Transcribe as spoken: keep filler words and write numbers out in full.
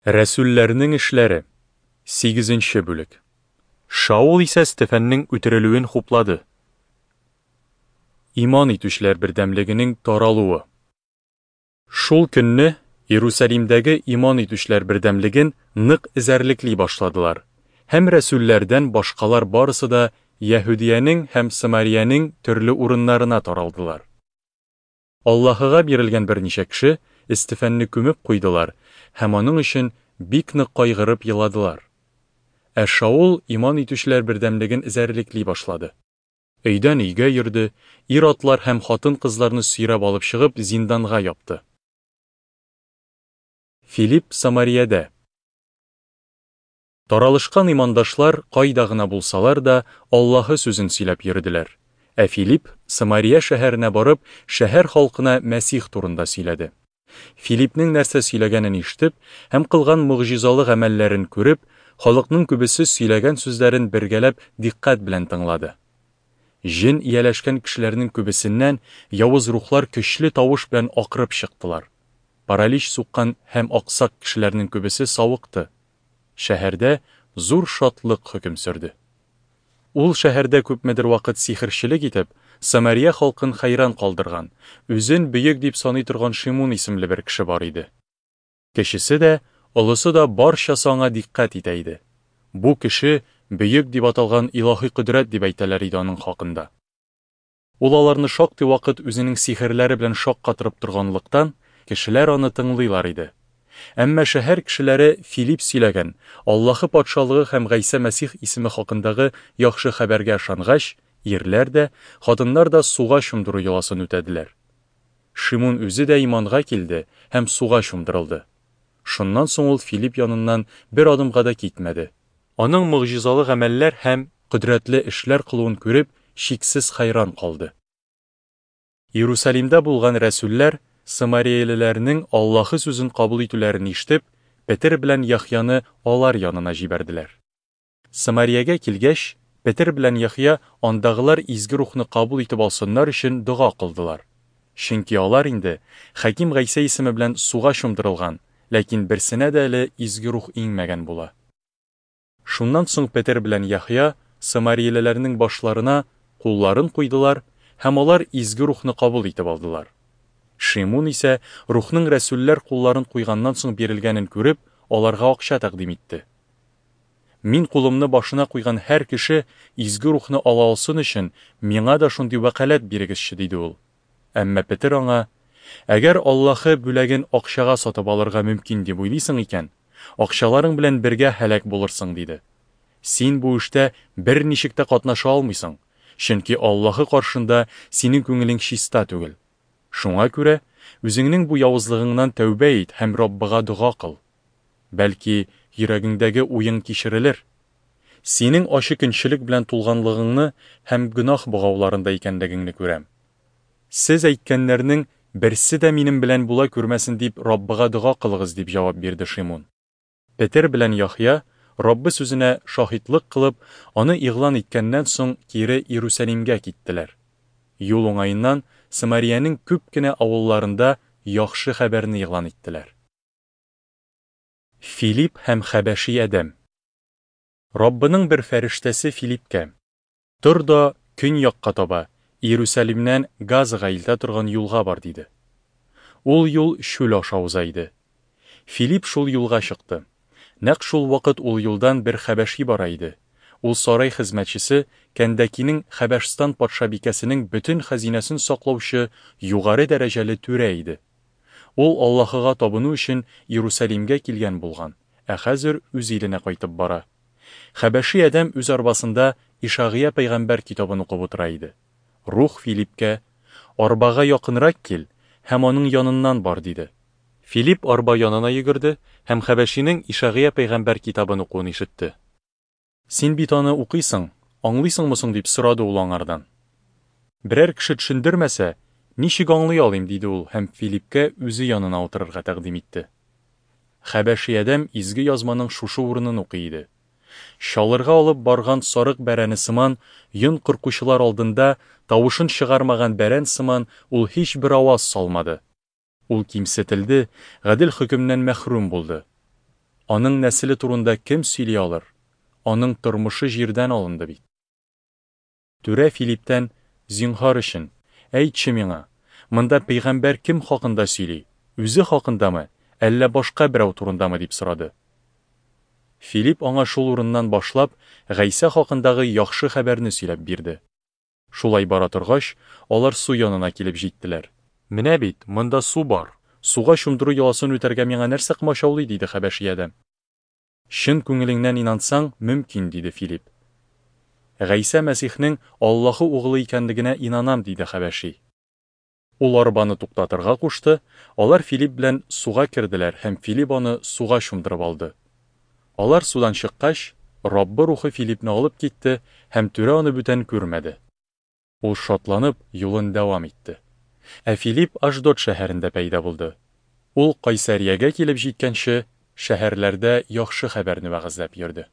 Рәсүлләрнең эшләре, сигезенче бүлек. Шаул исә Стефәннең үтерелүен хуплады. Иман итүчеләр бердәмлегенең таралуы. Шул көнне Иерусалимдәге иман итүчеләр бердәмлеген нык эзәрлекли башладылар. Һәм рәсүлләрдән башкалар барысы да Яһүдиянең һәм Самариянең төрле урыннарына таралдылар. Аллаһыга бирелгән берничә кеше Стефәнне күмеп куйдылар һәм аның өчен бик нык кайгырып еладылар. Ә Шаул иман итүчеләр бердәмлеген эзәрлекли башлады. Өйдән өйгә йөрде, ир-атлар һәм хатын-кызларны сөйрәп алып чыгып зинданга япты. Филипп Самариядә. Таралышкан имандашлар кайда гына булсалар да Аллаһы сүзен сөйләп йөрделәр. Ә Филипп Самария шәһәренә барып, шәһәр халкына Мәсих турында сөйләде. Филиппнең нәрсә сөйләгәнен ишетеп һәм кылган могҗизалы гамәлләрен күреп, халыкның күбесе сөйләгән сүзләрен бергәләп дикъкать белән тыңлады. Җен ияләшкән кешеләрнең күбесеннән явыз рухлар көчле тавыш белән акырып чыктылар. Паралич суккан һәм аксак кешеләрнең күбесе савыкты. Шәһәрдә зур шатлык хөкем сөрде. Ул шәһәрдә күпмедер вакыт сихерчелек итеп, Самария халкын хәйран калдырган, үзен бөек дип саный торган Шимун исемле бер кеше бар иде. Кечесе дә, олысы да барчасы аңа дикъкать итә иде. Бу кеше бөек дип аталган илаһи кодрәт дип әйтәләр иде аның хакында. Ул аларны шактый вакыт үзенең сихерләре белән шаккатырып торганлыктан, кешеләр аны тыңлыйлар иде. Әмма шәһәр кешеләре Филипп сөйләгән Аллаһы патшалыгы һәм Гайсә Мәсих исеме хакындагы яхшы хәбәргә ышангач, ирләр дә, хатыннар да суга чумдыру йоласын үтәделәр. Шимун үзе дә иманга килде һәм суга чумдырылды. Шуннан соң ул Филипп яныннан бер адымга да китмәде. Аның могҗизалы гамәлләр һәм кодрәтле эшләр кылуын күреп, чиксез хәйран калды. Иерусалимдә булган рәсүлләр самариялеләрнең Аллаһы сүзен кабул итүләрен ишетеп, Петер белән Яхъяны алар янына җибәрделәр. Самариягә килгәч, Петер белән Яхъя андагылар изге рухны кабул итеп алсыннар өчен дога кылдылар. Чөнки алар инде Хаким Гайсә исеме белән суга чумдырылган, ләкин берсенә дә әле изге рух иңмәгән була. Шуннан соң Петер белән Яхъя самариялеләрнең башларына кулларын куйдылар һәм алар изге рухны кабул итеп алдылар. Шимун исә рухның рәсүлләр кулларын куйганнан соң бирелгәнен күреп, аларга акча тәкъдим итте. Мин кулымны башына куйган һәр кеше изге рухны ала алсын өчен миңа да шундый вәкаләт бирегезче, диде ул. Әмма Петер аңа: "Әгәр Аллаһы бүләген акчага сатып алырга мөмкин дип уйлыйсың икән, акчаларың белән бергә һәлак булырсың", диде. Син бу эштә берничек тә катнаша алмыйсың, чөнки Аллаһы каршында синең күңелең чиста түгел. Шуңа күрә үзеңнең бу явызлыгыңнан тәүбә ит һәм Раббыга дога кыл. Бәлки йөрәгеңдәге уең кичерелер. Синең ачы көнчелек белән тулганлыгыңны һәм гөнаһ богауларында икәнлегеңне күрәм. Сез әйткәннәрнең берсе дә минем белән була күрмәсен дип Раббыга дога кылыгыз, дип җавап бирде Шимун. Петер белән Яхъя Раббы сүзенә шаһитлык кылып, аны игълан иткәннән соң кире Иерусалимгә киттеләр. Юл уңаеннан Самариянең күп кенә авылларында яхшы хәбәрне игълан иттеләр. Филипп һәм хәбәши адәм. Раббының бер фәрештәсе Филиппкә: "Тор да көньякка таба, Иерусалимнән Газага илтә торган юлга бар", диде. Ул юл чүл аша уза иде. Филипп шул юлга чыкты. Нәкъ шул вакыт ул юлдан бер хәбәши бара иде. Ул сарай хезмәтчесе Кәндәкинең Хәбәшстан патшабикәсенең бөтен хәзинәсен саклаучы югары дәрәҗәле түрә иде. Ул Аллаһыга табыну өчен Иерусалимгә килгән булган, ә хәзер үз иленә кайтып бара. Хәбәши адәм үз арбасында Ишагыя пәйгамбәр китабын укып утыра иде. Рух Филиппкә: "Арбага якынрак кил һәм аның яныннан бар", диде. Филипп арба янына йөгерде һәм хәбәшинең Ишагыя пәйгамбәр китабын укуын ишетте. "Син бит аны укыйсың, аңлыйсыңмы соң?" дип сорады ул аңардан. "Берәр кеше төшендермәсә, ничек аңлый алыйм?" диде ул һәм Филиппкә үзе янына утырырга тәкъдим итте. Хәбәши адәм изге язманың шушы урынын укый иде. Чалырга алып барган сарык бәрәне сыман, йон кыркучылар алдында тавышын чыгармаган бәрән сыман ул һич бер аваз салмады. Ул кимсетелде, гадел хөкемнән мәхрүм булды. Аның нәселе турында кем сөйли алыр? Аның тормышы җирдән алынды бит. Түрә Филиптән: Зинһар өчен, әйтче миңа, монда пәйгамбәр кем хакында сөйли? Үзе хакындамы, әллә башка берәү турындамы? дип сорады. Филип аңа шул урыннан башлап, Гайсә хакындагы яхшы хәбәрне сөйләп бирде. Шулай бара торгач, алар су янына килеп җиттеләр. Менә бит, монда су бар. Суга чумдыру йоласын үтәргә миңа нәрсә комачаулый? диде хәбәши адәм. Чын күңелеңнән инансаң, мөмкин, диде Филип. Гайсә Мәсихнең Аллаһы угылы икәнлегенә инанам, диде хәбәши. Ул арбаны туктатырга кушты, алар Филип белән суга керделәр һәм Филип аны суга чумдырып алды. Алар судан чыккач, Раббы рухы Филипне алып китте һәм түрә аны бүтән күрмәде. Ул шатланып юлын дәвам итте. Ә Филип Ашдод шәһәрендә пәйда булды. Ул Кайсариягә килеп җиткәнче, шәһәрләрдә яхшы хәбәрне вәгазьләп йөрде.